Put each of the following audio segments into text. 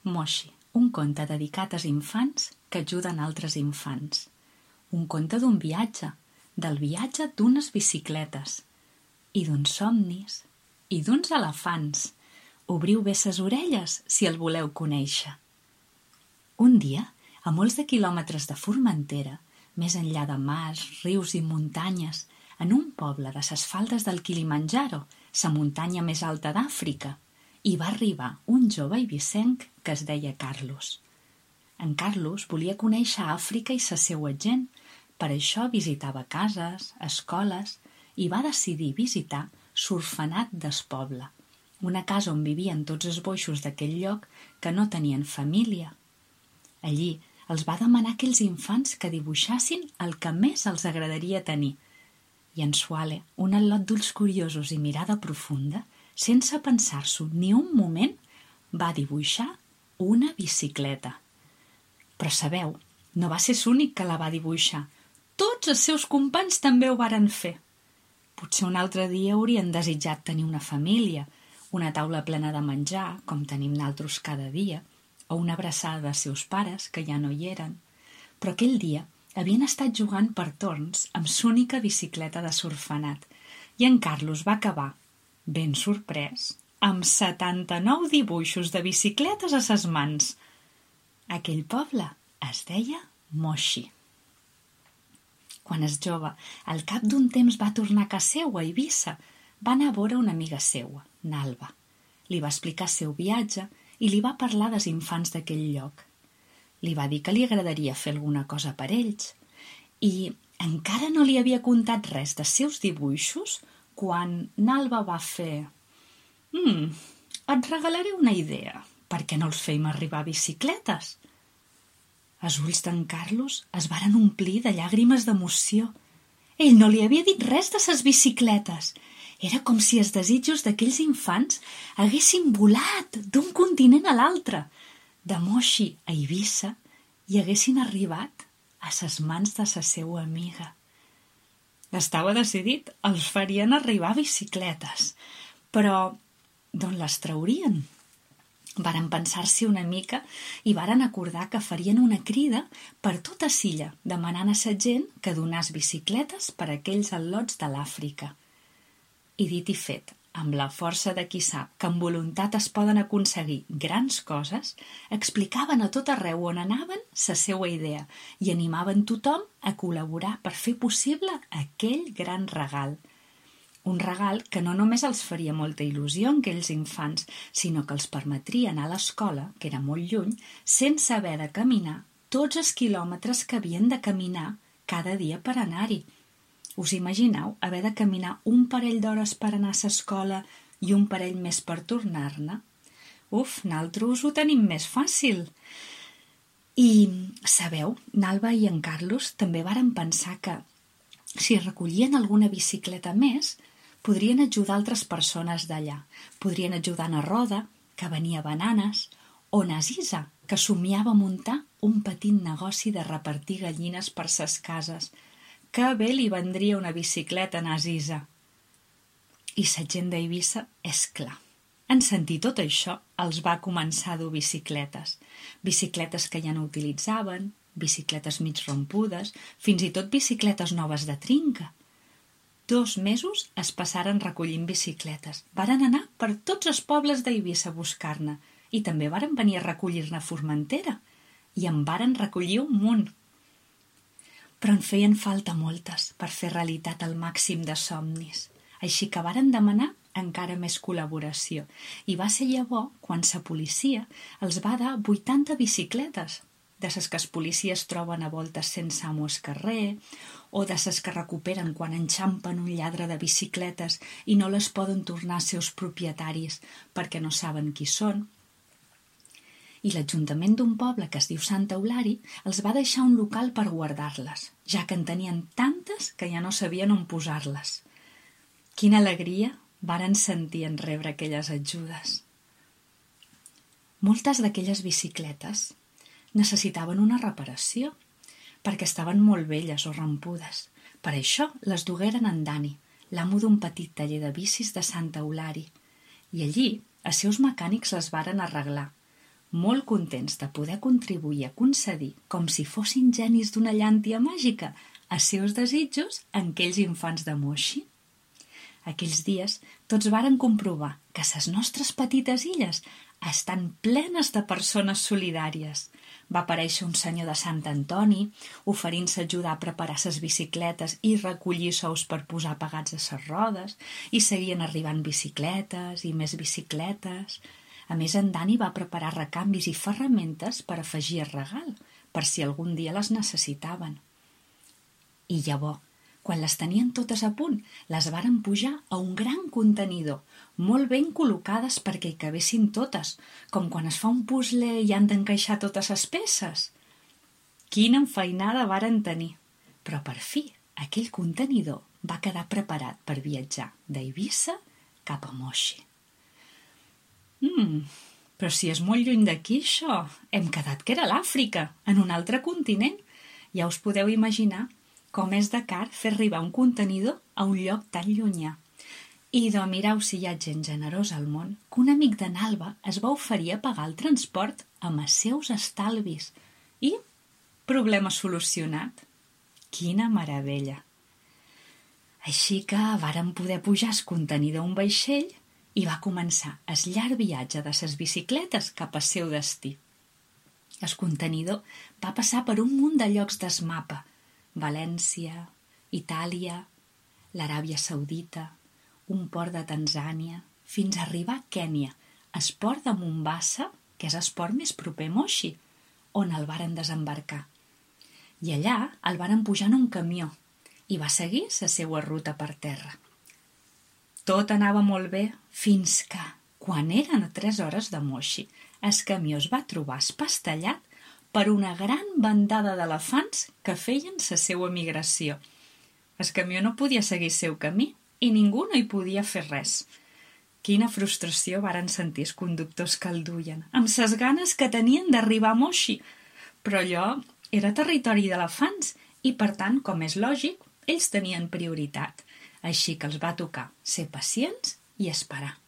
Moshi, un conte dedicat als infants que ajuden altres infants. Un conte d'un viatge, del viatge d'unes bicicletes, i d'uns somnis, i d'uns elefants. Obriu bé ses orelles si el voleu conèixer. Un dia, a molts de quilòmetres de Formentera, més enllà de mars, rius i muntanyes, en un poble de ses faldes del Kilimanjaro, sa muntanya més alta d'Àfrica, hi va arribar un jove eivissenc que es deia Carlos. En Carlos volia conèixer Àfrica i sa seua gent, per això visitava cases, escoles, i va decidir visitar l'orfenat del poble, una casa on vivien tots els boixos d'aquell lloc que no tenien família. Allí els va demanar a aquells infants que dibuixassin el que més els agradaria tenir. I en Suale, un al·lot d'ulls curiosos i mirada profunda, sense pensar-s'ho ni un moment, va dibuixar una bicicleta. Però sabeu, no va ser l'únic que la va dibuixar. Tots els seus companys també ho varen fer. Potser un altre dia haurien desitjat tenir una família, una taula plena de menjar, com tenim naltros cada dia, o una abraçada dels seus pares, que ja no hi eren. Però aquell dia havien estat jugant per torns amb l'única bicicleta de l'orfenat, i en Carlos va acabar, ben sorprès, amb 79 dibuixos de bicicletes a ses mans. Aquell poble es deia Moshi. Quan es jove, al cap d'un temps va tornar a casa seua, a Eivissa, va anar a veure una amiga seua, Nalva. Li va explicar el seu viatge i li va parlar dels infants d'aquell lloc. Li va dir que li agradaria fer alguna cosa per ells i encara no li havia contat res dels seus dibuixos quan Nalva va fer et regalaré una idea, per què no els feim arribar bicicletes? Els ulls d'en Carlos es varen omplir de llàgrimes d'emoció. Ell no li havia dit res de ses bicicletes. Era com si els desitjos d'aquells infants haguessin volat d'un continent a l'altre, de Moshi a Eivissa, i haguessin arribat a ses mans de sa seua amiga. Estava decidit, els farien arribar bicicletes, però d'on les traurien? Varen pensar-s'hi una mica i varen acordar que farien una crida per tota Silla, demanant a sa gent que donàs bicicletes per a aquells al·lots de l'Àfrica. I dit i fet, amb la força de qui sap que amb voluntat es poden aconseguir grans coses, explicaven a tot arreu on anaven sa seua idea i animaven tothom a col·laborar per fer possible aquell gran regal. Un regal que no només els faria molta il·lusió en aquells infants, sinó que els permetria anar a l'escola, que era molt lluny, sense haver de caminar tots els quilòmetres que havien de caminar cada dia per anar-hi. Us imagineu haver de caminar un parell d'hores per anar a l'escola i un parell més per tornar-ne? Naltros ho tenim més fàcil. I, sabeu, Nalva i en Carlos també varen pensar que si recollien alguna bicicleta més, podrien ajudar altres persones d'allà. Podrien ajudar na Roda, que venia bananes, o na Zisa, que somiava muntar un petit negoci de repartir gallines per ses cases. Que bé li vendria una bicicleta a na Zisa. I sa gent d'Eivissa, és clar. En sentir tot això, els va començar a dur bicicletes. Bicicletes que ja no utilitzaven, bicicletes mig rompudes, fins i tot bicicletes noves de trinca. 2 mesos es passaren recollint bicicletes. Varen anar per tots els pobles d'Eivissa a buscar-ne i també varen venir a recollir-ne a Formentera i en varen recollir un munt. Però en feien falta moltes per fer realitat el màxim de somnis, així que varen demanar encara més col·laboració i va ser llavors quan sa policia els va dar 80 bicicletes, de ses que els policies troben a voltes sense amo al carrer, o de ses que recuperen quan enxampen un lladre de bicicletes i no les poden tornar als seus propietaris perquè no saben qui són. I l'Ajuntament d'un poble que es diu Sant Eulari els va deixar un local per guardar-les, ja que en tenien tantes que ja no sabien on posar-les. Quina alegria varen sentir en rebre aquelles ajudes. Moltes d'aquelles bicicletes necessitaven una reparació, perquè estaven molt velles o rampudes. Per això les dugueren en Dani, l'amo d'un petit taller de bicis de Sant Eulari, i allí els seus mecànics les varen arreglar, molt contents de poder contribuir a concedir, com si fossin genis d'una llàntia màgica, els seus desitjos en aquells infants de Moshi. Aquells dies tots varen comprovar que les nostres petites illes estan plenes de persones solidàries. Va aparèixer un senyor de Sant Antoni oferint-se ajudar a preparar les bicicletes i recollir sous per posar pagats a les rodes, i seguien arribant bicicletes i més bicicletes. A més, en Dani va preparar recanvis i ferramentes per afegir al regal, per si algun dia les necessitaven. I llavors, quan les tenien totes a punt, les varen pujar a un gran contenidor, molt ben col·locades perquè hi cabessin totes, com quan es fa un puzzle i han d'encaixar totes les peces. Quina enfeinada varen tenir! Però per fi, aquell contenidor va quedar preparat per viatjar d'Eivissa cap a Moshi. Però si és molt lluny d'aquí, això. Hem quedat que era l'Àfrica, en un altre continent. Ja us podeu imaginar com és de car fer arribar un contenidor a un lloc tan llunyà. I mireu si hi ha gent generosa al món, que un amic de Nalba es va oferir a pagar el transport amb els seus estalvis. I problema solucionat. Quina meravella! Així que varen poder pujar el contenidor a un vaixell i va començar el llarg viatge de les bicicletes cap al seu destí. El contenidor va passar per un munt de llocs del mapa: València, Itàlia, l'Aràbia Saudita, un port de Tanzània, fins a arribar a Kènia, el port de Mombasa, que és el port més proper a Moshi, on el varen desembarcar. I allà el varen pujar en un camió i va seguir la seva ruta per terra. Tot anava molt bé fins que, quan eren a 3 hores de Moshi, el camió es va trobar espastellat per una gran bandada d'elefants que feien la seva migració. El camió no podia seguir el seu camí i ningú no hi podia fer res. Quina frustració varen sentir els conductors que el duien, amb ses ganes que tenien d'arribar a Moshi. Però allò era territori d'elefants i, per tant, com és lògic, ells tenien prioritat. Així que els va tocar ser pacients i esperar.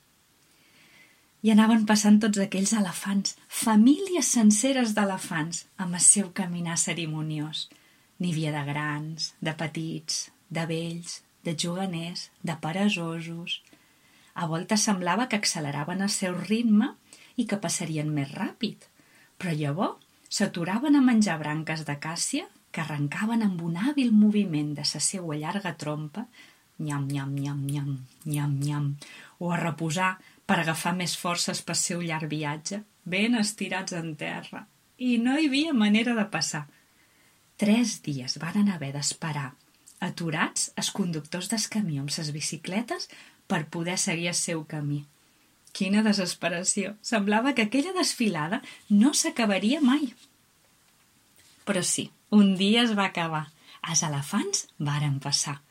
I anaven passant tots aquells elefants, famílies senceres d'elefants, amb el seu caminar cerimoniós. N'hi havia de grans, de petits, de vells, de juganers, de peresosos. A voltes semblava que acceleraven el seu ritme i que passarien més ràpid, però llavors s'aturaven a menjar branques d'acàcia que arrencaven amb un hàbil moviment de la seua llarga trompa, nyam, nyam, nyam, nyam, nyam, nyam, o a reposar per agafar més forces pel seu llarg viatge, ben estirats en terra, i no hi havia manera de passar. 3 dies varen haver d'esperar, aturats, els conductors del camió amb les bicicletes per poder seguir el seu camí. Quina desesperació! Semblava que aquella desfilada no s'acabaria mai. Però sí, un dia es va acabar. Els elefants varen passar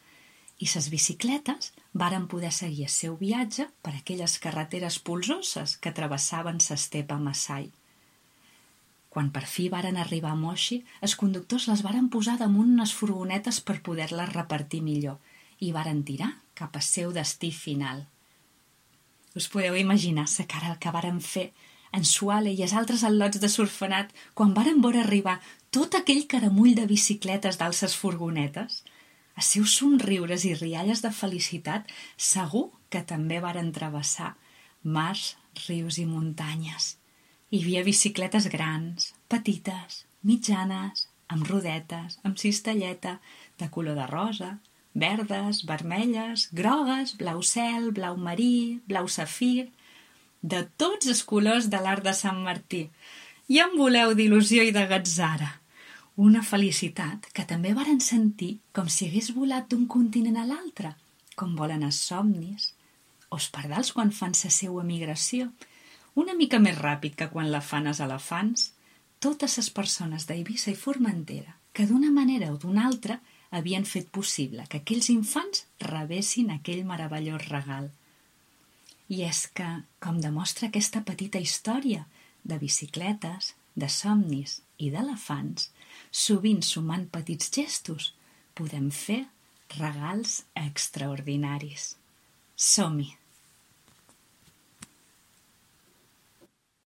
i les bicicletes varen poder seguir el seu viatge per aquelles carreteres polsoses que travessaven l'estepa Maasai. Quan per fi varen arribar a Moshi, els conductors les varen posar damunt unes furgonetes per poder-les repartir millor i varen tirar cap al seu destí final. Us podeu imaginar la cara que varen fer en Suale i els altres al·lots de Sorfenat quan varen veure arribar tot aquell caramull de bicicletes dalt les furgonetes? Els seus somriures i rialles de felicitat segur que també varen travessar mars, rius i muntanyes. Hi havia bicicletes grans, petites, mitjanes, amb rodetes, amb cistelleta, de color de rosa, verdes, vermelles, grogues, blau cel, blau marí, blau safir, de tots els colors de l'art de Sant Martí. I en voleu d'il·lusió i de gatzara. Una felicitat que també varen sentir com si hagués volat d'un continent a l'altre, com volen els somnis, o els pardals quan fan la seua migració, una mica més ràpid que quan la fan els elefants. Totes les persones d'Eivissa i Formentera, que d'una manera o d'una altra havien fet possible que aquells infants rebessin aquell meravellós regal. I és que, com demostra aquesta petita història de bicicletes, de somnis i d'elefants, sovint sumant petits gestos, podem fer regals extraordinaris. Som-hi!